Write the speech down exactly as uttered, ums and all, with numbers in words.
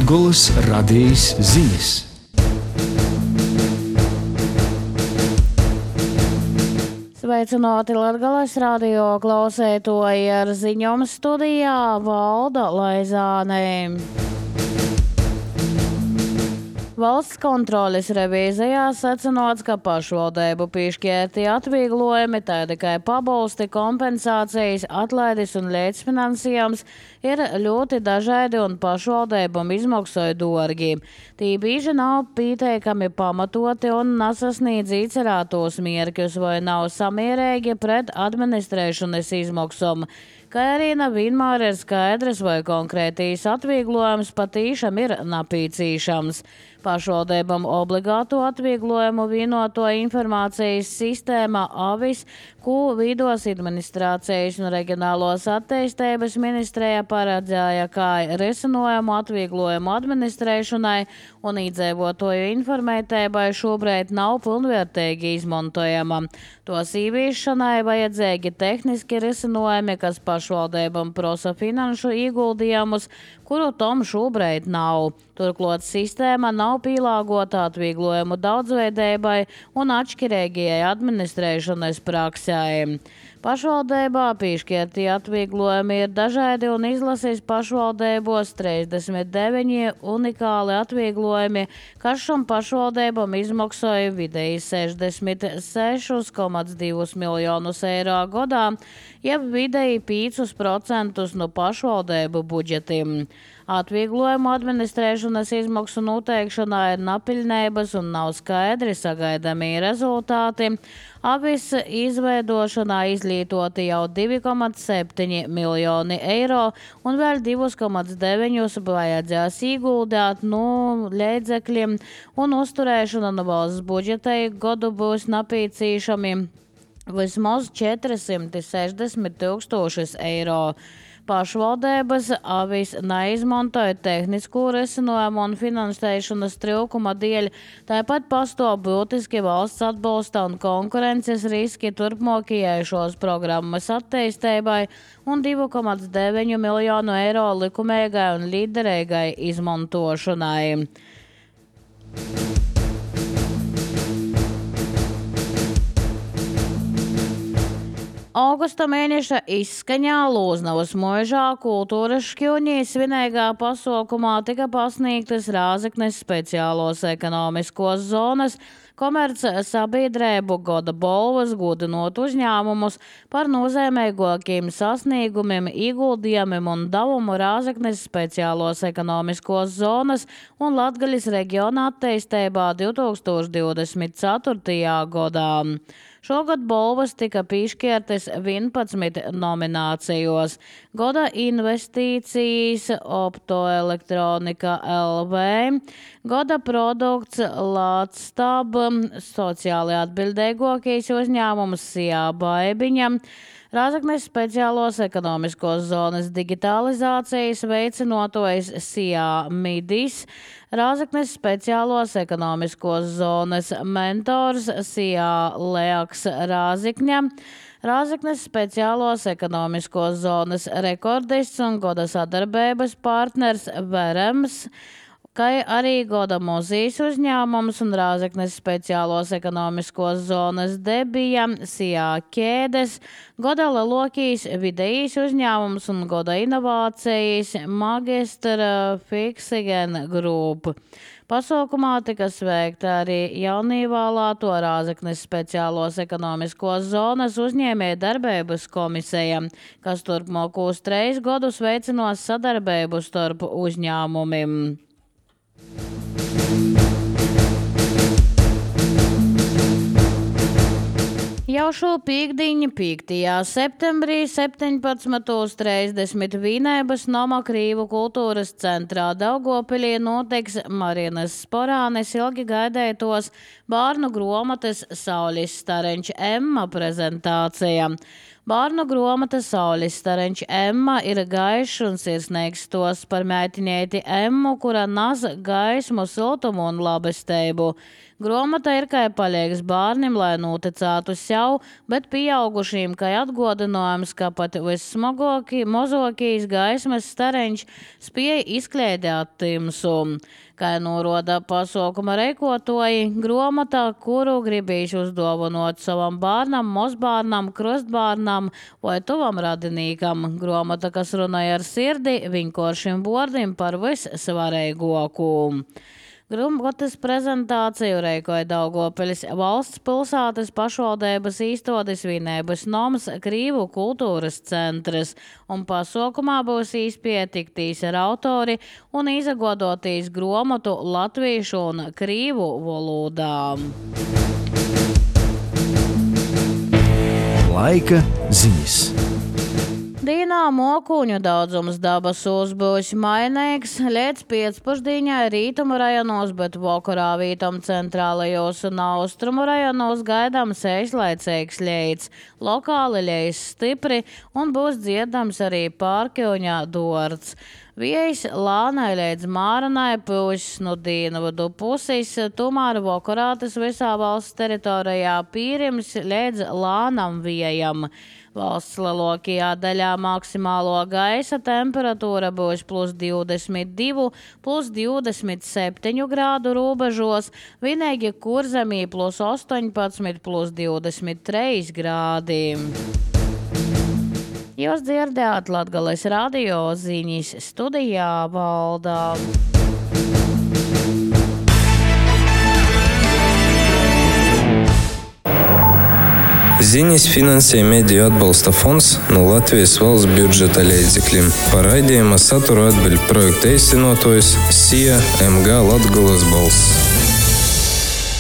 Latgolas radijas ziņas. Sveicināti Latgales radio klausētoji, ar ziņām studijā Valda Laizāne. Valsts kontroles revīzijā secināts, ka pašvaldību piešķirti atvieglojumi, tā tikai pabalsti, kompensācijas, atlaides un līdzfinansējums ir ļoti dažādi un pašvaldībām izmaksoja dārgi. Tī bieži nav pieteikami pamatoti un nesasniedz iecerētos mērķus vai nav samierīgi pret administrēšanas izmaksām, kā arī nevienmēr ir skaidrs, vai konkrētīs atvieglojums patīšām ir napīcīšams. Pašvaldībām obligāto atvieglojumu vienoto informācijas sistēma AVIS, ko Vidos administrācijas un reģionālos attīstības ministrija paredzēja kā risinājumu atvieglojumu administrēšanai un iedzīvotāju informētībai šobrīd nav pilnvērtīgi izmantojama. Tos īviešanai vajadzīgi tehniski risinājumi, kas pašvaldībām prasa finanšu ieguldījumus, kuru tom šobrīd nav. Turklāt sistēma nav pielāgota atvieglojumu daudzveidībai un atšķirīgajai administrēšanas praksē. Pašvaldībā piešķirtie atvieglojumi ir dažādi un izlasīs pašvaldībos trīsdesmit deviņi unikāli atvieglojumi, kas šam pašvaldībam izmaksoja vidēji sešdesmit seši komats divi miljonus eiro gadā, jeb vidēji piecus procentus no pašvaldību budžetiem. Atvieglojumu administrēšanas izmaksu noteikšanā ir napilnības un nav skaidri sagaidāmie rezultāti. AVIS izveidošanā izlietoti jau divi komats septiņi miljoni eiro un vēl divi komats deviņi vajadzēs ieguldīt no līdzekļiem un uzturēšana no valsts budžeta gadu būs napīcīšami vismaz četri sešdesmit tūkstoši eiro. Pašvaldības AVIS neizmantoja tehnisko risinājumu un finansēšanas trūkuma dēļ, tāpat pastāv būtiski valsts atbalsta un konkurences riski turpmākajai šos programmas attīstībai un divi komats deviņi miljonu eiro likumīgai un liderīgai izmantošanai. Augusta mēneša izskaņā Lūznavas mūžā kultūras šķiuņī svinīgā pasaukumā tika pasniegtas Rāzeknes speciālos ekonomiskos zonas komerc sabiedrību gada balvas, godinot uzņēmumus par nozīmīgākiem sasniegumiem, ieguldījumiem un devumu Rāzeknes speciālos ekonomiskos zonas un Latgaļas reģiona attīstībā divi tūkstoši divdesmit ceturtajā gadā. Šogad balvas tika piešķirtas vienpadsmit nominācijos. Gada investīcijas Optoelektronika L V, gada produkts Latstab, sociāli atbildīgākais uzņēmums Sijā Baibiņa, Rāzeknes speciālos ekonomiskos zonas digitalizācijas veicinotojs Sijā Midis, Rāzeknes speciālos ekonomiskos zonas mentors Sijā Leaks Rāzikņa, Rāzeknes speciālos ekonomiskos zonas rekordists un gada sadarbības partners Verems, kā arī gada muzejs uzņēmums un Rāzeknes speciālos ekonomiskos zonas debija Sijā Ķēdes, gada lielākais vidējais uzņēmums un gada inovācijas Magistra Fiksigen Group. Pasaukumā tika sveikta arī jaunīvēlēto Rāzeknes speciālos ekonomiskos zonas uzņēmēju darbības komisija, kas turpmākos trīs gadus veicinās sadarbību starp uzņēmumiem. Jau šo pīkdiņu piektajā septembrī septiņpadsmit trīsdesmit Vīnēbas Noma Krīvu kultūras centrā Daugavpilī notiks Marinas Sporānes ilgi gaidētos bērnu gromates Saulis Stareņš Emma prezentācija. Bārnu gromata Saulis stareņš Emma ir gaišs un sirsnīgs stos par meitiņēti Emmu, kura naz gaismu, siltumu un labestību. Gromata ir kai palīgs bārnim, lai noticētu sev, bet pieaugušīm kai atgodinājums, ka pat vissmagokī, mozokīs gaismas stareņš spēja izkliedēt timsu. Kā noroda pasaukuma reikotoji, gromata, kuru gribīšu uzdāvinot savam bārnam, mozbārnam, krustbārnam vai tuvam radinīkam. Gromata, kas runāja ar sirdi, vienkāršiem vārdiem par vissvarīgāko. Gromatas prezentāciju reikoja Daugopiļas valsts pilsētas pašvaldības īstotis vienības noms Krīvu kultūras centrs, un pasaukumā būs īspēja tiktīs ar autori un izagodotīs gromatu latviešu un krīvu valodām. Laika ziņas. Dīnā mokuņu daudzums dabasūs būs mainīgs līdz pēcpusdienai rītumu rajonos, bet vakarā vītam centrālajos un austrumu rajonos gaidāms īslaicīgs lietus. Lokāli liejas stipri un būs dzirdams arī Pārkiuņā dorts. Vējs lānai līdz māranai pūs no dienvidu puses, tomēr vakarā tas visā valsts teritorijā pīrims līdz lānam vējam. Valsts lielākajā daļā maksimālo gaisa temperatūra būs plus divdesmit divi, plus divdesmit septiņi grādu robežos, vienīgi Kurzemī plus astoņpadsmit, plus divdesmit trīs grādi. Jūs dzirdējāt Latgales radio ziņas, studijā Valdā. Ziņas finansē Mediju atbalsta fonds no Latvijas valsts budžeta līdzekļiem. Par raidījuma saturu atbild projekta īstenotājs S I A M G Latgales balss.